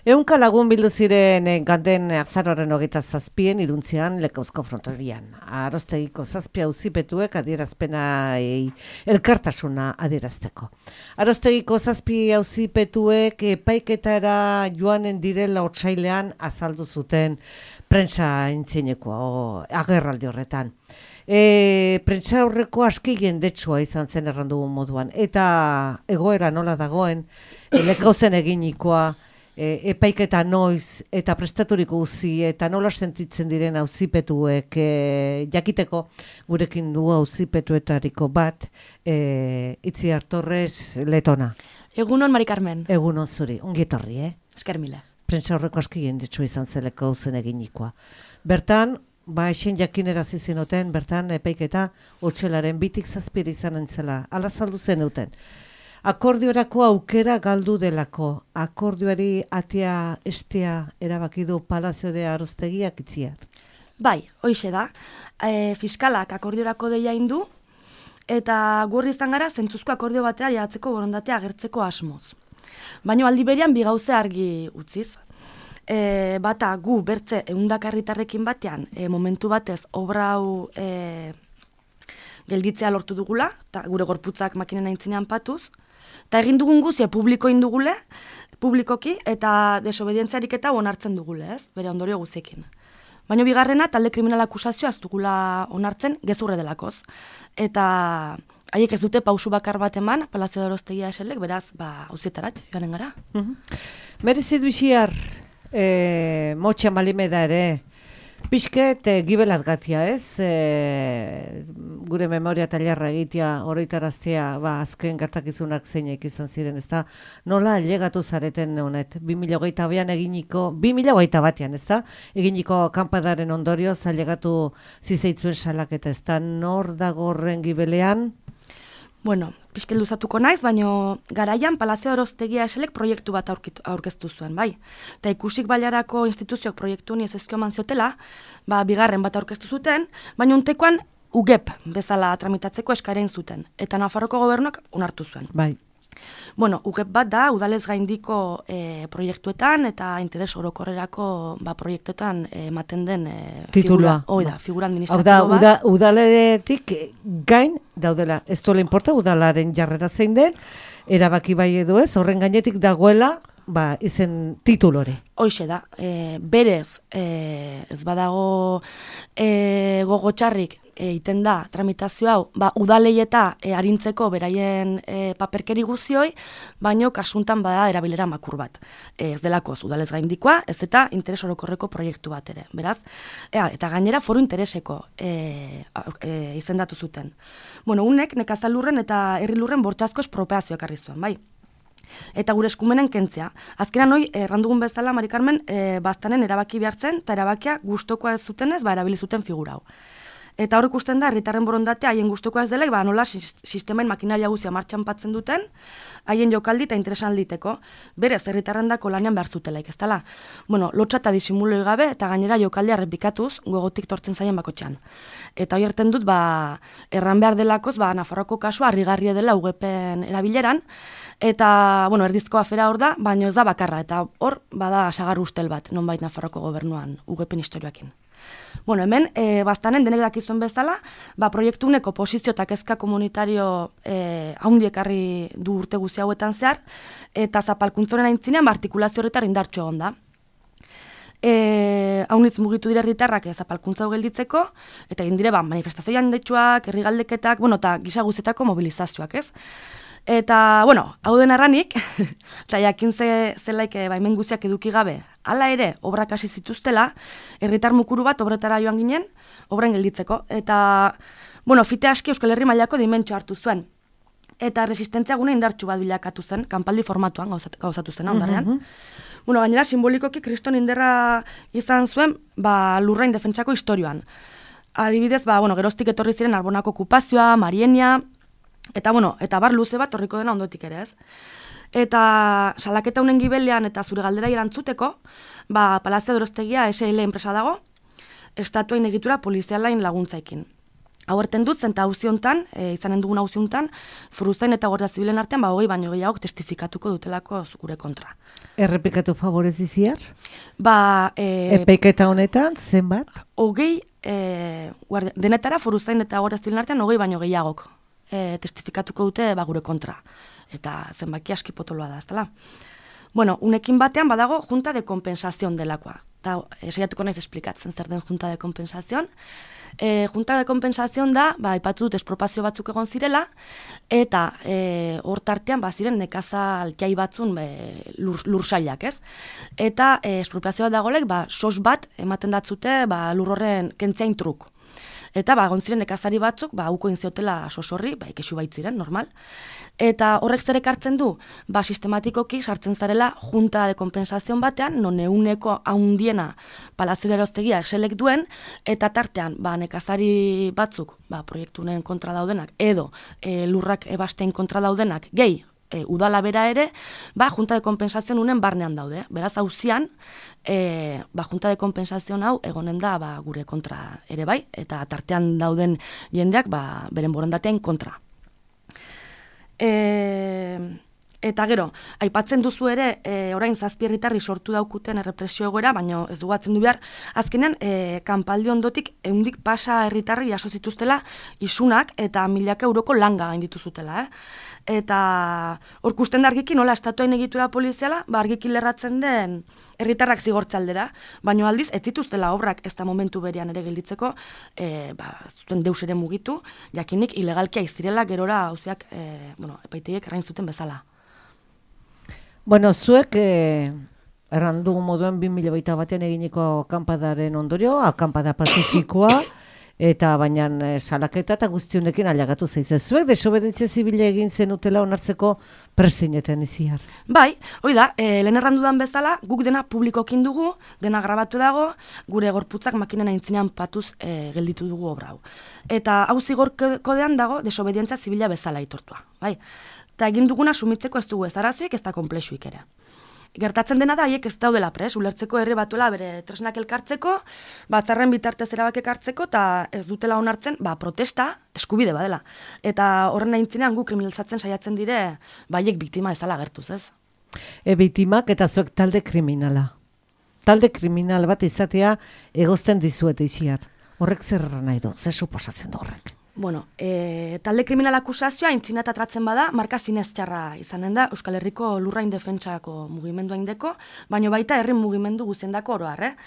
Ehunka lagun bildu ziren ganten azaroaren 27 Iruntzean Lekauzko frontoian. Arostegiko 7 auzipetuek adierazpenai elkartasuna adierazteko. Arostegiko 7 auzipetuek epaiketara joanen direla otsailean azaldu zuten prentsa intzinekoa agerraldi horretan. Prentsa horreko aski jendetsua izan zen errandugun moduan. Eta egoera nola dagoen, Lekauzen eginikoa, epaiketa noiz eta prestaturiko uzi eta nola sentitzen diren auzipetuek jakiteko gurekin du auzipetuetariko bat Itziar Torres Letona. Egunon, Mari Carmen. Egunon zuri, ongi etorri, Esker mila. Prentsa horreko aski jendetsua izan zeleko zen eginikoa. Bertan, esen jakinerazi zenuten, bertan epaiketa otxelaren 2-7 izan entzela. Ala saldu zenuten. Akordiorako aukera galdu delako. Akordioari atea estea erabaki du Palazio de Arostegiak Itziar. Bai, hoixe da. Fiskalak akordiorako deia indu, eta gurri izan gara zentzuzko akordio batera jatzeko borondatea agertzeko asmoz. Baina aldi berean bi gauze argi utziz. Bata gu bertze 100 herritarrekin batean momentu batez obra hau gelditzea lortu dugula, eta gure gorputzak makinen aintzinean patuz, eta egin dugun guzia publikoki eta desobedientziarik eta onartzen dugule, bere ondorio guziekin. Baina bigarrena, talde kriminal akusazioa ez dugula onartzen gezurre delakoz. Eta haiek ez dute pausu bakar bat eman, Palazio de Arostegia eselek, beraz, auzietarat joanen gara. Merezi du Itziar, motxan balimeda ere, pixket gibelat gatia, ez? Gure memoria tailerra egitea, oroitaraztea, azken gertakizunak zeinek izan ziren, ez da? Nola ailegatu zareten honet? 2008an eginiko, 2008 batean, ez da? Eginiko kanpadaren ondorio, ailegatu zizeitzuen salaketa, ez da? Nor dago horren gibelean? Bueno, pixkel luzatuko naiz, baina garaian Palazio de Arostegia eselek proiektu bat aurkeztu zuen, bai. Eta ikusik bailarako instituzioak proiektu honi ez ezkio eman ziotela, bigarren bat aurkeztu zuten, baina untekoan UGEP bezala tramitatzeko eskaeren zuten. Eta Nafarroko gobernuak onartu zuen. Bai. Bueno, UGEP bat da, udalez gaindiko proiektuetan eta interes orokorrerako proiektuetan ematen den titulua. Figura administratibo bat. Hau da, udaletik gain daudela. Ez duela importa udalaren jarrera zein den, erabaki bai edo ez, horren gainetik dagoela izen titulore. Hoixe da, berez, ez badago gogo txarrik egiten da tramitazio hau, udalei eta arintzeko beraien paperkeri guzioi, baino kasuntan bada erabilera makur bat. Ez delakoz, udalez gaindikoa, ez eta interes orokorreko proiektu bat ere. Beraz, eta gainera foru intereseko izendatu zuten. Bueno, unek nekazalurren eta herrilurren bortxazko espropeazioak ekarri zuen, bai. Eta gure eskumenen kentzea. Azkenan hoi, errandugun bezala, Mari Carmen, baztanen erabaki behartzen, eta erabakia gustokoa ez zutenez, erabili zuten figura hau. Eta hor ikusten da, herritarren borondatea haien gustokoa ez dela, nola sistemain makinaria guzia martxan patzen duten, haien jokaldi eta interesan alditeko. Berez, herritarren dako lanean behar zutelaik, ez dela. Bueno, lotxa eta disimuloi gabe, eta gainera jokaldia errepikatuz, gogotik tortzen zaien bakotxean. Eta hori erten dut, erran behar delakoz, Nafarroko kasua harrigarria dela UGEPen erabileran, eta, erdizko afera hor da, baina ez da bakarra, eta hor, bada sagar ustel bat, nonbait Nafarroko gobernuan UGEPen historioakin. Bueno, hemen, baztanen denek dakizuen bezala, proiektu uneko posizio eta kezka komunitario haundi ekarri du urte guzi hauetan zehar, eta zapalkuntzoren aintzinean artikulazio horretar indartxo egon da. Haunitz mugitu dira herritarrak zapalkuntza hau gelditzeko, eta egin dire manifestazioan detxuak, herri galdeketak, eta gisa guzetako mobilizazioak, ez? Eta, hau den arranik, eta jakin zelaik baimen guziak eduki gabe, hala ere, obrak hasi zituztela, herritar mukuru bat obretara joan ginen, obren gelditzeko. Eta, fite aski Euskal Herri mailako dimentsio hartu zuen. Eta resistentzia gune indartsu bat bilakatu zen, kanpaldi formatuan gauzatu zen ondarrean. Gainera, simbolikoki kriston inderra izan zuen, lurrain defentsako historioan. Adibidez, geroztik etorri ziren Arbonako okupazioa, Marienia, eta bar luze bat horriko dena ondotik ere, ez? Eta salaketa honen gibelean eta zure galdera erantzuteko, Palazio de Arostegia SL enpresa dago, estatuain egitura polizialain laguntzaikin. Hau erten dut, zenta hauziontan, izanen dugun hauziontan, Foruzain eta Guardia Zibilen artean, 20 baino gehiagok testifikatuko dutelako gure kontra. Errepikatu favorez iziar? Ba, epaiketa honetan, zenbat? 20, denetara Foruzain eta Guardia Zibilen artean, 20 baino gehiagok testifikatuko dute gure kontra. Eta zenbaki aski potoloa da, eztela. Bueno, unekin batean badago junta de compensación delakoa. Eta saiatuko naiz esplikatzen zer den junta de compensación. Junta de compensación da, aipatu dut espropazio batzuk egon zirela, eta hor tartean ziren nekazal jai batzun lursailak, ez? Eta espropazioa dagolek, sos bat ematen datzute lur horren kentzein truk. Eta egon ziren nekazari batzuk, uko inziotela sos horri, ikexu baitziren, normal. Eta horrek zer ekartzen du, sistematikoki sartzen zarela junta de compensación batean, non euneko haundiena Palazio de Arostegia eselek duen, eta tartean nekazari batzuk proiektunen kontra daudenak, edo lurrak ebastein kontra daudenak, gehi udala bera ere, junta de compensación unen barnean daude. Beraz, hauzian, junta de compensación hau egonen da gure kontra ere bai, eta tartean dauden jendeak beren borondatean kontra. Eta gero, aipatzen duzu ere, orain 7 herritarri sortu daukuten errepresio egoera, baina ez dugatzen du behar, azkenean, kanpaldi ondotik eundik pasa herritarri jaso zituztela isunak eta 1.000 euroko langa gainditu zutela. Eta hor kusten da argiki nola estatuain egitura poliziala, argiki lerratzen den herritarrak zigortze aldera, baina aldiz ez zituztela obrak ez da momentu berean ere gelditzeko, zuten deus ere mugitu, jakinik ilegalkia izirela gerora hauziak, epaitegiek errain zuten bezala. Bueno, zuek errandu moduen 2021 eginiko akampadaren ondorio, akampada pazifikoa, eta baina salaketa eta guztionekin alagatu zaizu. Zuek desobedentzia zibila egin zenutela onartzeko presineten iziar. Bai, hoi da, lehen errandudan bezala, guk dena publikokin dugu, dena grabatu dago, gure gorputzak makinen aintzinean patuz gelditu dugu obra hau. Eta hau zigor kodean dago desobedientzia zibila bezala aitortua. Bai? Eta egin duguna sumitzeko ez dugu ez arazoik ez da konplexuik ere. Gertatzen dena da, haiek ez daudela pres, ulertzeko herri batuela bere tresnak elkartzeko, batzarren bitartez erabakek hartzeko, eta ez dutela onartzen, protesta eskubide badela. Eta horren aintzinean gu kriminalizatzen saiatzen dire, haiek biktima ezala gertuz, ez? Biktimak eta zuek talde kriminala. Talde kriminal bat izatea egozten dizuete iziar. Horrek zer nahi du, zer suposatzen du horrek? Bueno, talde kriminal akusazioa aintzina eta tratzen bada, marka zinez txarra izanen da Euskal Herriko lurrain defentsako mugimendua indeko, baino baita herri mugimendu guziendako oroar,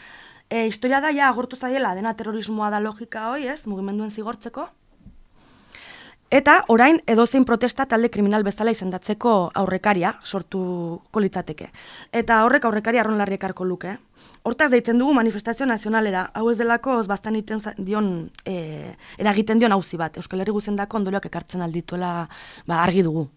historia da, agortu zaiela, dena terrorismoa da logika hoi, ez, mugimenduen zigortzeko. Eta orain edozein protesta talde kriminal bezala izendatzeko aurrekaria sortuko litzateke. Eta horrek aurrekaria arronlarri ekarko luke. Hortaz deitzen dugu manifestazio nazionalera, hau ez delako baztan eragiten dion auzi bat. Euskal Herri guziendako ondorioak ekartzen aldituela argi dugu.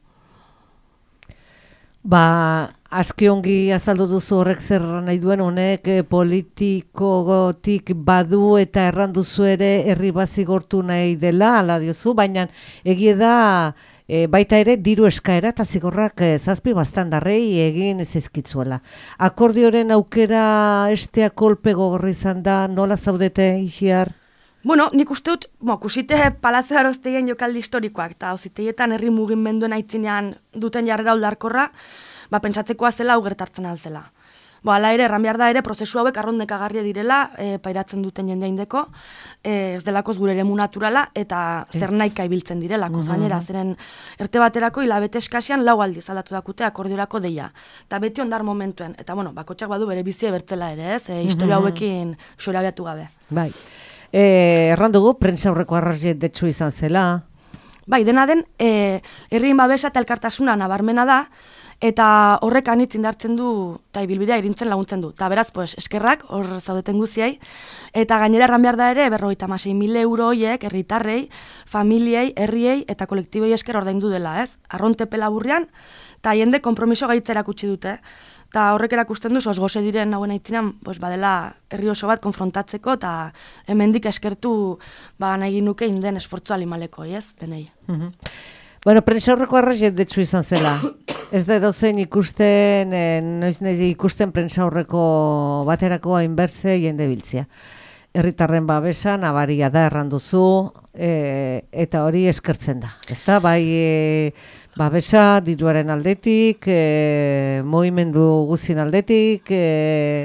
Aski ongi azaldu duzu horrek zer nahi duen honek politikotik badu eta erranduzu ere herri bazigortu nahi dela, ala diozu, baina egie da baita ere diru eskaera eta zigorrak 7 baztandarrei egin zizkitzuela. Akordioren aukera estea kolpe gogorra izan da, nola zaudete ixiar? Bueno, nik uste dut, kusite Palazio de Arostegian jokaldi historikoak, eta auziteietan herri mugimenduen aitzinean duten jarrera oldarkorra, pentsatzekoa zela hau gertartzen alzela. Hala ere, erran behar da ere, prozesu hauek arrondekagarria direla, pairatzen duten jendeindeko, ez delakoz gure eremu naturala, eta zer nahika ibiltzen direlako. Zainera, zeren erte baterako hilabete eskasian 4 aldiz aldatu dakute akordiorako deia. Eta beti ondar momentuen, eta bakotxak badu bere bizi ebertzela ere, ez? Historia hauekin xorabiatu gabe. Bai. Erran dugu, prentsa aurreko arrazietdetsu izan zela. Bai, dena den, herrien babesa eta elkartasuna nabarmena da, eta horrek anitz indartzen du, eta ibilbidea irintzen laguntzen du. Eta beraz, eskerrak, hor zaudeten guziei, eta gainera erran behar da ere, 56.000 euro horiek, herritarrei, familiei, herriei eta kolektibei esker ordaindu dela, ez? Arrontepe laburrean, eta jende kompromiso gaitza erakutsi dute. Eta horrek erakusten du, gose diren hauen aitzinean, badela herri oso bat konfrontatzeko, eta hemendik eskertu nahi nuke inden esfortzu alimaleko, ez? Denei. Bueno, prentsa horreko arrazietdetsu izan zela. Ez da edozein ikusten, noiz ikusten prentsa horreko baterako hainbertze jende biltzea. herritarren babesa nabaria da erranduzu, eta hori eskertzen da. Ezta, bai babesa diruaren aldetik, mugimendu guztien aldetik,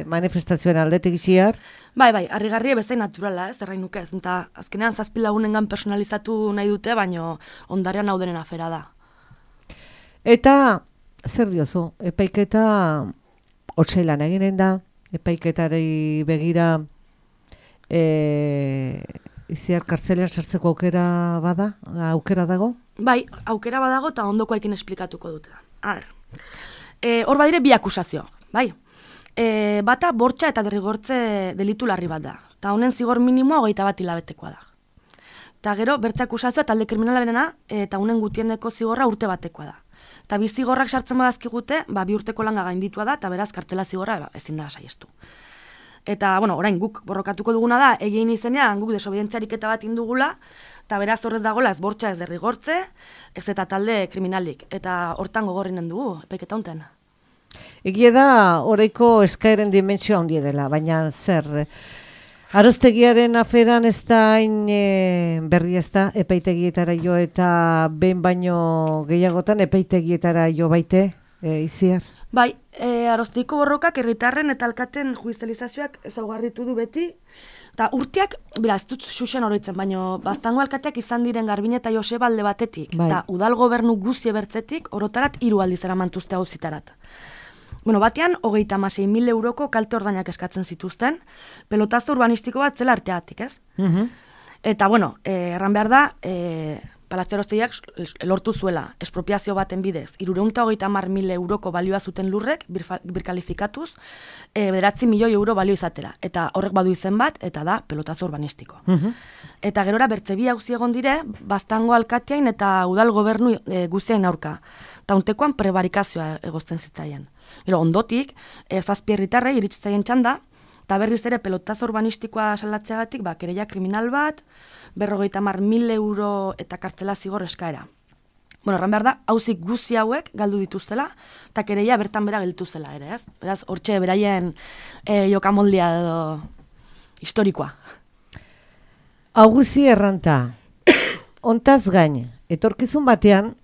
manifestazioen aldetik Itziar. Bai, harrigarria bezain naturala, ez, errain nuke ez, eta azkenean 7 lagunengan personalizatu nahi dute, baino ondarean hau denen afera da. Eta, zer diozu, epaiketa otsailan eginen da, epaiketari begira Itziar kartzelean sartzeko aukera dago? Bai, aukera badago eta ondokoekin esplikatuko dute. Hor badire bi akusazio, bai. Bata bortxa eta derrigortze delitu larri bat da. Eta honen zigor minimoa 21 hilabetekoa da. Eta gero, bertze akusazioa talde kriminalarena eta honen gutieneko zigorra urte batekoa da. Eta bi zigorrak sartzen badazkigute, 2 urteko langa gainditua da, eta beraz kartzela zigorra ezin da saiestu. Eta, orain guk borrokatuko duguna da, egin izenean guk desobedientziarik eta bat indugula, eta beraz horrez dagoela ez bortxa ez derrigortze, ez eta talde kriminalik. Eta hortan gogorrinen dugu, epaiketa honten. Egia da, oraiko eskaeren dimentsioa handie dela, baina zer, Arostegiaren aferan ez da berri ez da, epaitegietara jo eta behin baino gehiagotan epaitegietara jo baite, Itziar? Bai, Arozteiko borrokak herritarren eta alkaten judizializazioak ezaugarritu du beti, eta urteak, ez dut xuxen oroitzen, baina Baztango alkateak izan diren Garbine eta Joseba alde batetik, eta udal gobernu guzie bertzetik orotarat 3 aldiz eramantuzte auzitarat. Batean, 36.000 euroko kalte ordainak eskatzen zituzten, pelotazo urbanistiko bat zela arteatik, ez? Eta, erran behar da, Palazzo Arostegiak lortu zuela, espropiazio baten bidez, 330.000 euroko balioa zuten lurrek, birkalifikatuz, 9 milioi euro balio izatera. Eta horrek badu izen bat, eta da pelotazo urbanistiko. Eta gerora bertze bi auzi egon dire, Baztango alkateain eta udal gobernu guziain aurka. Eta untekoan prebarikazioa egozten zitzaien. Gero, ondotik, 7 herritarrei iritsitzaien txanda, eta berriz ere pelotazo urbanistikoa salatzeagatik, kereia kriminal bat, 50.000 euro eta kartzela zigor eskaera. Erran behar da, auzik guzi hauek galdu dituztela, eta kereia bertan bera gelditu zela ere, ez? Beraz, hortxe beraien jokamoldia edo historikoa. Hau guzi erranta, ontaz gain, etorkizun batean,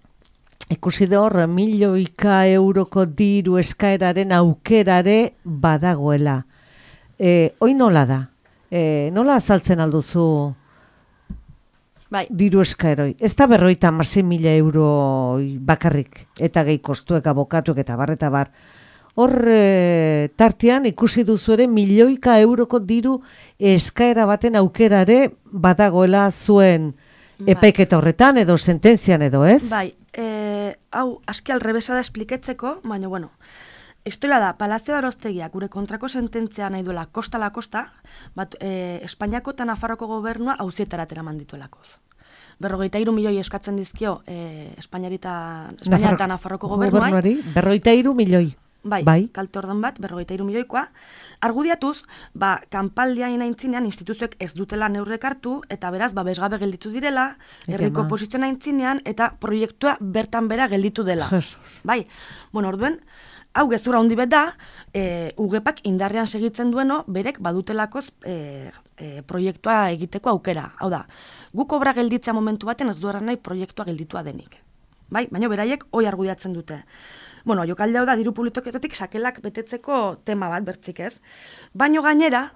ikusi da hor, milioika euroko diru eskaeraren aukerare badagoela. Hoi nola da? Nola azaltzen alduzu diru eskaeroi? Ez da 50.000 euro bakarrik, eta gehi kostuek, abokatuek eta bar. Hor tartean ikusi duzu ere milioika euroko diru eskaera baten aukerare badagoela zuen epaiketa horretan edo sententzian edo, ez? Bai, hau aski alrebesa da espliketzeko, baina historia da, Palazzo Arostegiak gure kontrako sententzia nahi duela kosta la kosta, Espainiako eta Nafarroko gobernua auzietara eraman dituelakoz. 53 milioi eskatzen dizkio Espainia eta Nafarroko gobernuari. 53 milioi. Bai, kalte ordan bat, 53 milioikoa. Argudiatuz, kanpaldiain aintzinean instituzioek ez dutela neurrek hartu, eta beraz, bezgabe gelditu direla, herriko posizioa aintzinean, eta proiektua bertan bera gelditu dela. Bai, orduen, hau gezurra handi bet da, UGEPak indarrean segitzen dueno, berek badutelakoz proiektua egiteko aukera. Hau da, guk obra gelditzea momentu baten ez dueran nahi proiektua gelditua denik. Bai, baina beraiek hoi argudiatzen dute. Jokalde hau da, diru publikoetatik sakelak betetzeko tema bat bertzik ez. Baina gainera,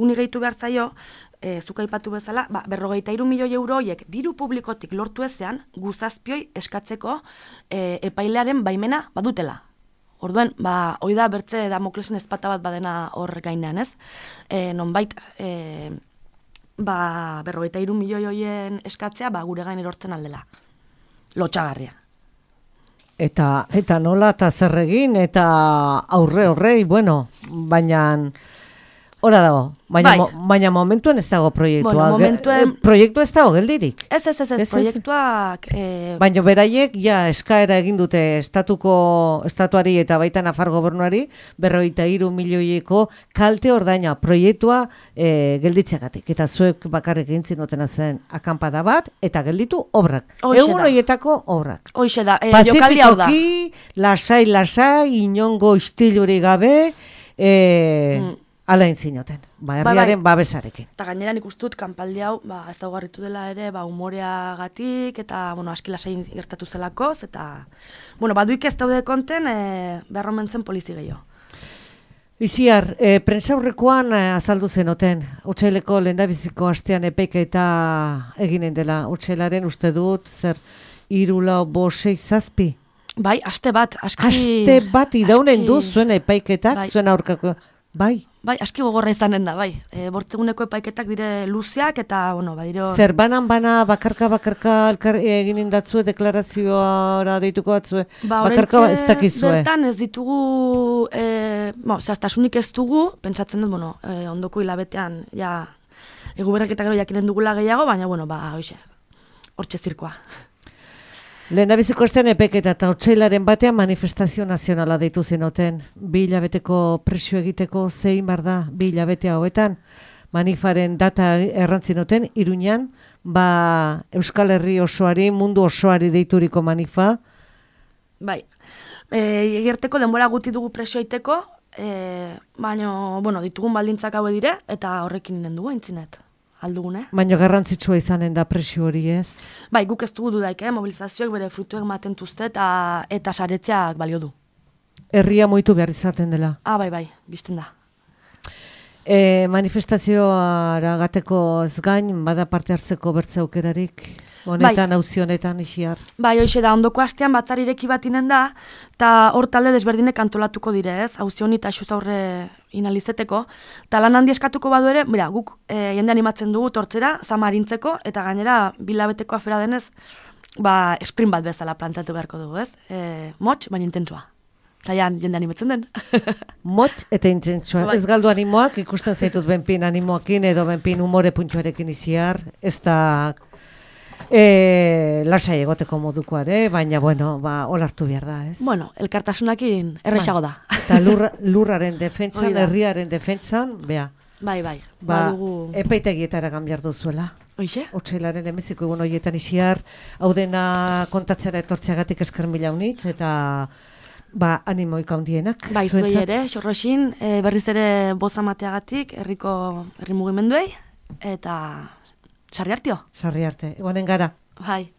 uni gehitu behar zaio, zuka aipatu bezala, 53 milioi euro horiek diru publikotik lortu ezean, guzazpioi eskatzeko epailearen baimena badutela. Orduan, hoi da bertze Damoklesen ezpata bat badena hor gainean, ez? Nonbait, 53 milioi horien eskatzea, gure gain erortzen aldela. Lotxagarria. Eta nola eta zer egin, eta horrei, baina hora dago, baina momentuan ez dago proiektua. Proiektua ez dago geldirik. Ez, proiektuak... Baina beraiek eskaera egin dute estatuari eta baita Nafar gobernuari 53 milioieko kalte ordaina proiektua gelditzeagatik. Eta zuek bakarrik egin zinotena zen akanpada bat, eta gelditu obrak. Egun horietako obrak. Hoixe da, jokaldi hau da. Pazifikoki, lasai, inongo istiluri gabe, ala intzinoten, herriaren babesarekin. Eta gainera nik ustut, kanpaldi hau, ez daugarritu dela ere, umoreagatik, eta, aski lasain gertatu zelakoz, eta, baduik ez daude konten, beharromentzen polizi gehiago. Iziar, prentsaurrekoan azaldu zenoten, otsaileko lehendabiziko astean epaiketa eginen dela, otsailaren uste dut, 3, 4, 5, 6, 7? Bai, aste bat idaunen du zuen epaiketak, zuen aurkako, bai? Bai, aski gogorra izanen da, bai. Bortzeguneko epaiketak dire luzeak eta, badiro... Zer, banan bakarka egin indatzue, deklarazioara deituko batzue, bakarka ez dakizue? Bertan ez ditugu, zehaztasunik ez dugu, pentsatzen dut, ondoko hilabetean, eguberrak eta gero jakinen dugula gehiago, baina, hortxe zirkoa. Lehendabiziko astean epaiketa eta otsailaren batean manifestazio nazionala deitu zenoten. 2 hilabeteko presio egiteko zein bar da 2 hilabete hauetan. Manifaren data errantzinoten, Iruñan, Euskal Herri osoari, mundu osoari deituriko manifa. Bai, egerteko denbora guti dugu presio egiteko, baina, ditugun baldintzak haue dire, eta horrekin nien dugu entzinet. Aldugune. Baina garrantzitsua izanen da presio hori ez? Bai, guk ez dugu dudaik, mobilizazioak bere frutuek maten tuzte eta saretzeak balio du. Herria moitu behar izaten dela? Bai, bizten da. Manifestazioara gateko ez gain, bada parte hartzeko bertze aukerarik? Honetan, auzi honetan, Ixiar? Bai, hoxe da, ondoko astean batzarek batinen da, eta hor talde desberdinek antolatuko dire, ez? Auzi honi eta xuz aurre inalizeteko. Eta lan handi eskatuko badu ere, guk jende animatzen dugu tortzera, zamarintzeko, eta gainera, 2 hilabeteko afera denez, sprint bat bezala plantatu beharko dugu, ez? Motx, baina intentsua. Eta jende animatzen den. Motx eta intentsua. Ez galdu animoak, ikusten zaitut benpin animoakin, edo benpin umore puntuarekin Ixiar, ez da... lasai egoteko modukoare, baina, olartu behar da, ez? Elkartasunakin errexago da. Eta lurraren defentsan, herriaren defentsan, Bai. Epaitegietara gambiar duzuela. Oixe? Otsailaren emeziko egun horietan Ixiar, hau dena kontatzera etortzeagatik esker mila unitz, eta animoik handienak. Bai, zuei ere, xorroxin, berriz ere bozamateagatik, herri mugimenduei, eta... Sarri hartio? Sarri arte, egonen gara. Bai.